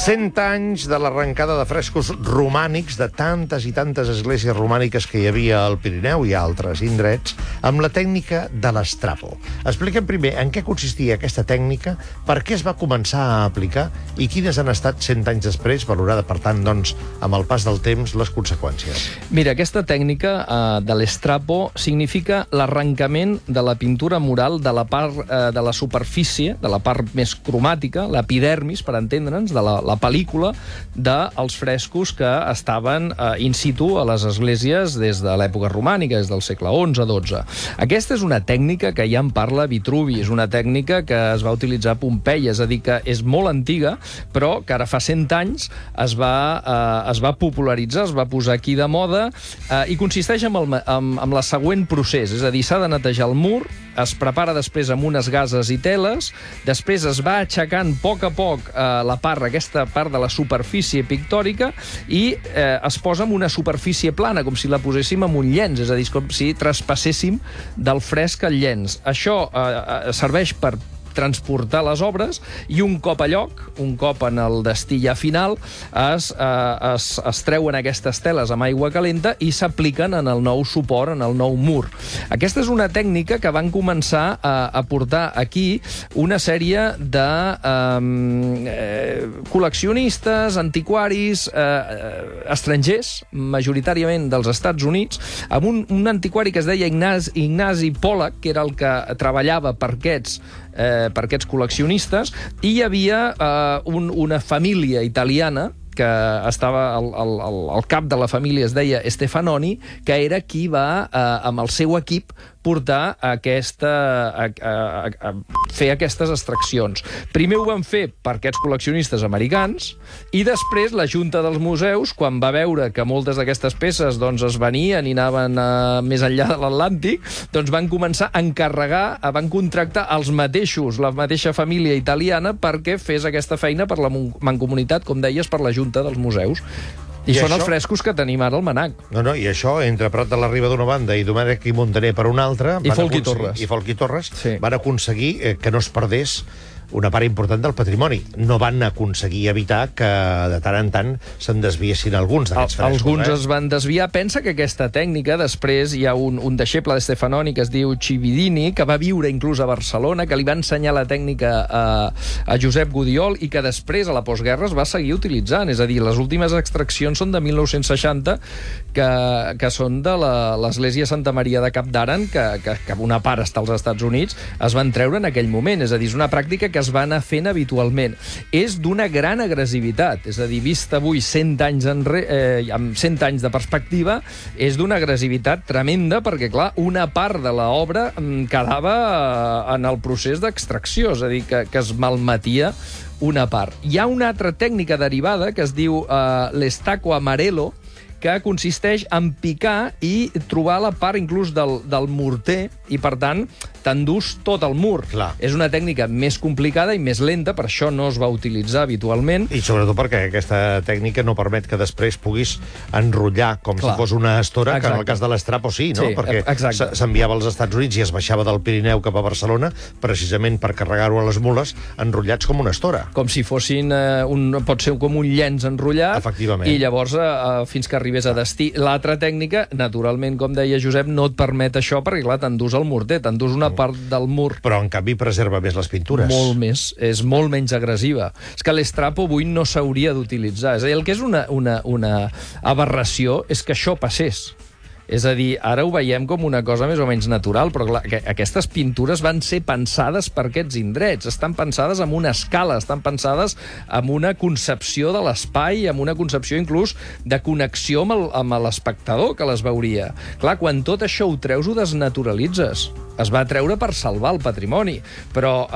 100 anys de l'arrencada de frescos romànics de tantes i tantes esglésies romàniques que hi havia al Pirineu i a altres indrets, amb la tècnica de l'estrapo. Expliquem primer en què consistia aquesta tècnica, per què es va començar a aplicar i quines han estat 100 anys després, valorada, per tant, doncs, amb el pas del temps, les conseqüències. Mira, aquesta tècnica de l'estrapo significa l'arrencament de la pintura mural de la part de la superfície, de la part més cromàtica, l'epidermis, per entendre'ns, de la pel·lícula dels frescos que estaven in situ a les esglésies des de l'època romànica, des del segle XI-XII. Aquesta és una tècnica que ja en parla Vitruvi, és una tècnica que es va utilitzar a Pompeia, és a dir, que és molt antiga, però que ara fa 100 anys es va popularitzar, es va posar aquí de moda, i consisteix en la següent procés, és a dir, s'ha de netejar el mur, es prepara després amb unes gases i teles, després es va aixecant a poc aquesta part de la superfície pictòrica i es posa en una superfície plana, com si la poséssim en un llenç, és a dir, com si traspasséssim del fresc al llenç. Això serveix per transportar les obres i un cop a lloc, un cop en el destí ja final, es treuen aquestes teles amb aigua calenta i s'apliquen en el nou suport, en el nou mur. Aquesta és una tècnica que van començar a portar aquí una sèrie de col·leccionistes, antiquaris, estrangers, majoritàriament dels Estats Units, amb un antiquari que es deia Ignasi Pollack, que era el que treballava per aquests col·leccionistes, i hi havia una família italiana que estava al cap de la família, es deia Stefanoni, que era qui va, amb el seu equip, portar a fer aquestes extraccions. Primer ho van fer per aquests col·leccionistes americans i després la Junta dels Museus, quan va veure que moltes d'aquestes peces es venien i anaven més enllà de l'Atlàntic, van començar a encarregar, van contractar els mateixos, la mateixa família italiana, perquè fes aquesta feina per la mancomunitat, com deies, per la Junta dels Museus. I són els frescos que tenim ara al MNAC. I això, entre Prat de la Riba d'una banda i Domènech i Montaner per una altra... I Folch i Torres. Van aconseguir que no es perdés una part important del patrimoni. No van aconseguir evitar que de tant en tant se'n desviessin alguns d'aquests frescos. Alguns es van desviar. Pensa que aquesta tècnica, després hi ha un deixeble de Stefanoni que es diu Cividini, que va viure inclús a Barcelona, que li va ensenyar la tècnica a Josep Gudiol i que després, a la postguerra, es va seguir utilitzant. És a dir, les últimes extraccions són de 1960, que són de l'església Santa Maria de Capdaren, que una part està als Estats Units, es van treure en aquell moment. És a dir, és una pràctica que es va anar fent habitualment. És d'una gran agressivitat, és a dir, vist avui 100 anys amb 100 anys de perspectiva, és d'una agressivitat tremenda perquè, clar, una part de l'obra quedava en el procés d'extracció, és a dir, que es malmetia una part. Hi ha una altra tècnica derivada que es diu l'estaco amarelo, que consisteix en picar i trobar la part inclús del morter i, per tant, t'endús tot el mur. Clar. És una tècnica més complicada i més lenta, per això no es va utilitzar habitualment. I sobretot perquè aquesta tècnica no permet que després puguis enrotllar com si fos una estora, que en el cas de l'estrapo sí, no? Perquè s'enviava als Estats Units i es baixava del Pirineu cap a Barcelona precisament per carregar-ho a les mules enrotllats com una estora. Com si fossin, pot ser com un llenç enrotllat. Efectivament. I llavors, fins que arribés a destí. L'altra tècnica, naturalment, com deia Josep, no et permet això perquè, clar, t'endús el morter, t'endús una part del mur. Però, en canvi, preserva més les pintures. Molt més. És molt menys agressiva. És que l'estrapo avui no s'hauria d'utilitzar. És a dir, el que és una aberració és que això passés. És a dir, ara ho veiem com una cosa més o menys natural, però clar, aquestes pintures van ser pensades per aquests indrets, estan pensades amb una escala, estan pensades amb una concepció de l'espai, amb una concepció inclús de connexió amb l'espectador que les veuria. Clar, quan tot això ho treus, ho desnaturalitzes. Es va treure per salvar el patrimoni, però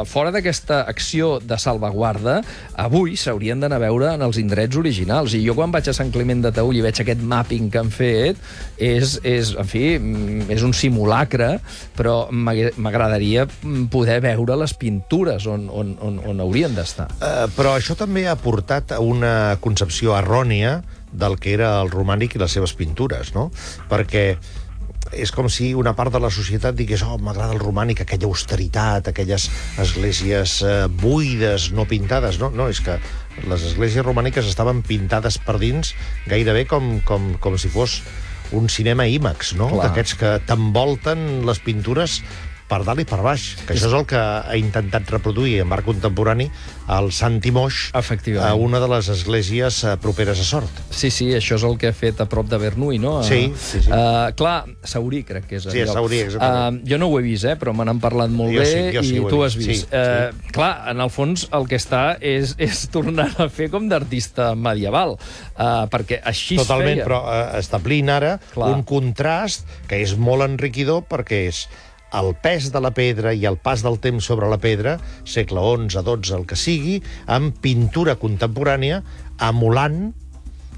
fora d'aquesta acció de salvaguarda, avui s'haurien d'anar a veure en els indrets originals. I jo, quan vaig a Sant Climent de Taüll i veig aquest mapping que han fet, és un simulacre, però m'agradaria poder veure les pintures on haurien d'estar. Però això també ha portat a una concepció errònia del que era el romànic i les seves pintures, no? Perquè és com si una part de la societat digués m'agrada el romànic, aquella austeritat, aquelles esglésies buides, no pintades. No, és que les esglésies romàniques estaven pintades per dins gairebé com si fos un cinema IMAX, no? D'aquests que t'envolten les pintures per dalt i per baix, que això és el que ha intentat reproduir en art contemporani el Santi Moix a una de les esglésies properes a Sort. Sí, això és el que ha fet a prop de Bernuy, no? Sí. Clar, Saurí crec que és el lloc. Sí, Saurí, exactament. Jo no ho he vist, però me n'han parlat molt bé i tu ho has vist. Clar, en el fons el que està és tornar a fer com d'artista medieval, perquè així es feia. Totalment, però establint ara un contrast que és molt enriquidor perquè és el pes de la pedra i el pas del temps sobre la pedra, segle XI, XII, el que sigui, amb pintura contemporània, emulant,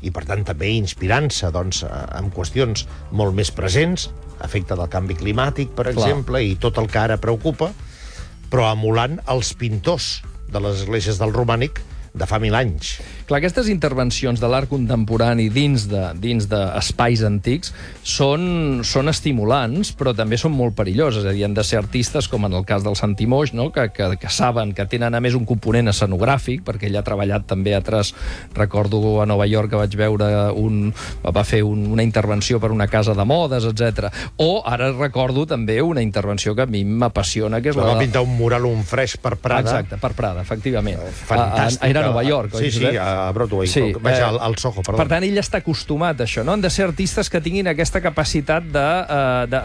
i per tant també inspirant-se en qüestions molt més presents, efecte del canvi climàtic, per exemple, i tot el que ara preocupa, però emulant els pintors de les esglésies del romànic de fa 1000 anys. Clar, aquestes intervencions de l'art contemporani dins d'espais antics són estimulants, però també són molt perilloses. És a dir, han de ser artistes, com en el cas del Santi Moix, no? que saben que tenen a més un component escenogràfic, perquè ell ha treballat també altres... Recordo a Nova York que vaig veure va fer una intervenció per una casa de modes, etc. O ara recordo també una intervenció que a mi m'apassiona, que és va pintar un mural, un fresc per Prada. Exacte, per Prada, efectivament. Fantàstic. Era a Nova York, oi? Sí, a Broadway. Vaig al Soho, perdó. Per tant, ell està acostumat a això, no? Han de ser artistes que tinguin aquesta capacitat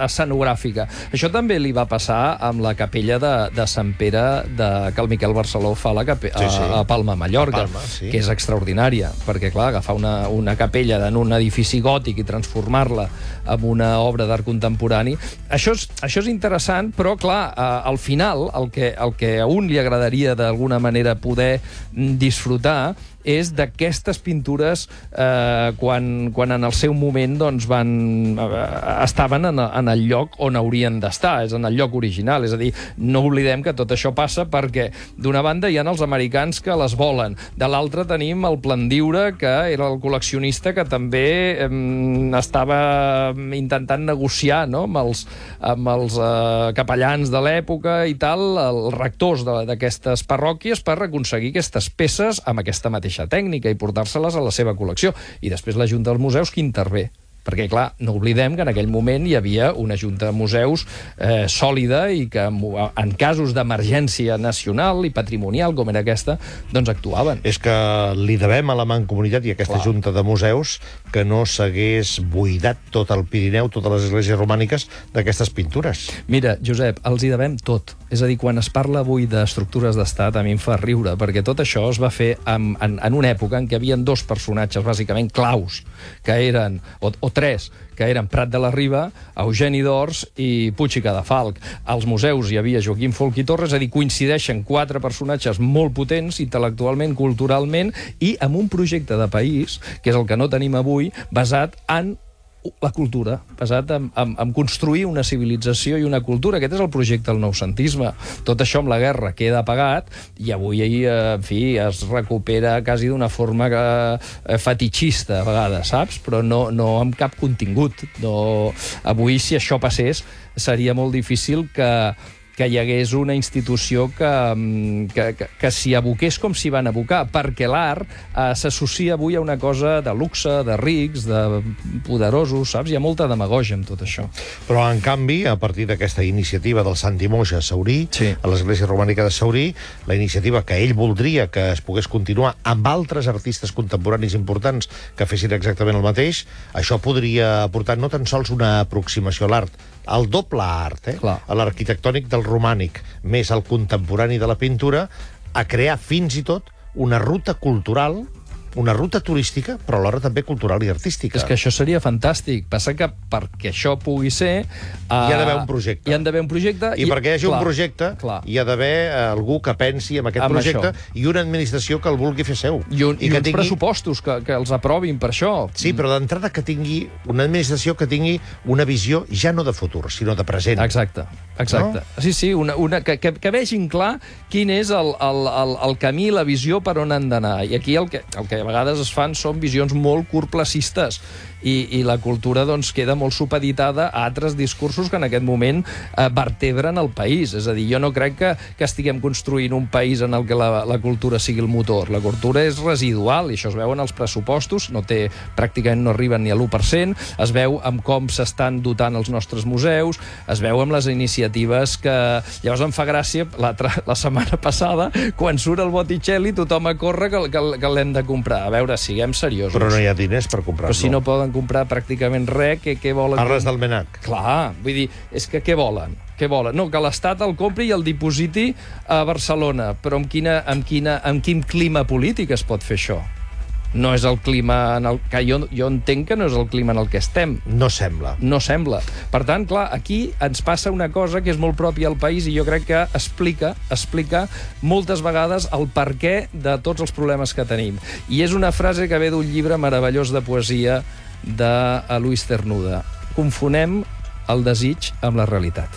escenogràfica. Això també li va passar amb la capella de Sant Pere que el Miquel Barceló fa a Palma, Mallorca, que és extraordinària, perquè, clar, agafar una capella en un edifici gòtic i transformar-la en una obra d'art contemporani, això és interessant, però, clar, al final, el que a un li agradaria d'alguna manera poder disfrutar és d'aquestes pintures quan en el seu moment estaven en el lloc on haurien d'estar, és en el lloc original. És a dir, no oblidem que tot això passa perquè, d'una banda, hi ha els americans que les volen, de l'altra tenim el Plandiure, que era el col·leccionista que també estava intentant negociar, no?, amb els capellans de l'època i tal, els rectors d'aquestes parròquies, per aconseguir aquestes peces amb aquesta mateixa tècnica i portar-se-les a la seva col·lecció. I després la Junta dels Museus que intervé. Perquè, clar, no oblidem que en aquell moment hi havia una Junta de Museus sòlida i que en casos d'emergència nacional i patrimonial com era aquesta, doncs actuaven. És que li devem a la Mancomunitat i a aquesta Junta de Museus que no s'hagués buidat tot el Pirineu, totes les esglésies romàniques, d'aquestes pintures. Mira, Josep, els hi devem tot. És a dir, quan es parla avui d'estructures d'estat, a mi em fa riure, perquè tot això es va fer en una època en què hi havia dos personatges bàsicament claus, que eren, o tres, que eren Prat de la Riba, Eugeni d'Ors i Puig i Cadafalch. Als museus hi havia Joaquim Folch i Torres, és a dir, coincideixen quatre personatges molt potents, intel·lectualment, culturalment, i amb un projecte de país, que és el que no tenim avui, basat en la cultura, basat en construir una civilització i una cultura. Aquest és el projecte del noucentisme. Tot això amb la guerra queda apagat i avui, en fi, es recupera quasi d'una forma fetitxista, a vegades, saps? Però no amb cap contingut. Avui, si això passés, seria molt difícil que hi hagués una institució que s'hi aboqués com s'hi van abocar, perquè l'art s'associa avui a una cosa de luxe, de rics, de poderosos, saps? Hi ha molta demagògia amb tot això. Però, en canvi, a partir d'aquesta iniciativa del Santi Moix a Saurí, a l'església romànica de Saurí, la iniciativa que ell voldria que es pogués continuar amb altres artistes contemporanis importants que fessin exactament el mateix, això podria aportar no tan sols una aproximació a l'art, el doble art, a l'arquitectònic del romànic, més el contemporani de la pintura, a crear fins i tot una ruta cultural, una ruta turística, però alhora també cultural i artística. És que això seria fantàstic. Passa que perquè això pugui ser... hi ha d'haver un projecte. Hi ha d'haver un projecte. I perquè hi hagi un projecte, hi ha d'haver algú que pensi en aquest projecte i una administració que el vulgui fer seu. I uns pressupostos que els aprovin per això. Sí, però d'entrada que tingui una administració que tingui una visió ja no de futur, sinó de present. Exacte. Sí, que vegin clar quin és el camí, la visió per on han d'anar. I aquí el que a vegades es fan són visions molt curtplacistes i la cultura doncs, queda molt supeditada a altres discursos que en aquest moment vertebren el país. És a dir, jo no crec que estiguem construint un país en el que la cultura sigui el motor. La cultura és residual, i això es veu en els pressupostos, pràcticament no arriben ni a l'1%, es veu amb com s'estan dotant els nostres museus, es veu amb les iniciatives que... Llavors em fa gràcia, la setmana passada, quan surt el Botticelli, tothom a córrer que l'hem de comprar. A veure, siguem seriosos. Però no hi ha diners per comprar-lo. Però si no poden comprar pràcticament res, què volen? Parles del MNAC. Clar, vull dir, és que què volen? Què volen? No, que l'Estat el compri i el dipositi a Barcelona. Però amb quin clima polític es pot fer això? No és el clima en el que jo entenc que no és el clima en el que estem. No sembla. No sembla. Per tant, clar, aquí ens passa una cosa que és molt pròpia al país i jo crec que explica moltes vegades el perquè de tots els problemes que tenim. I és una frase que ve d'un llibre meravellós de poesia de Luis Cernuda. Confonem el desig amb la realitat.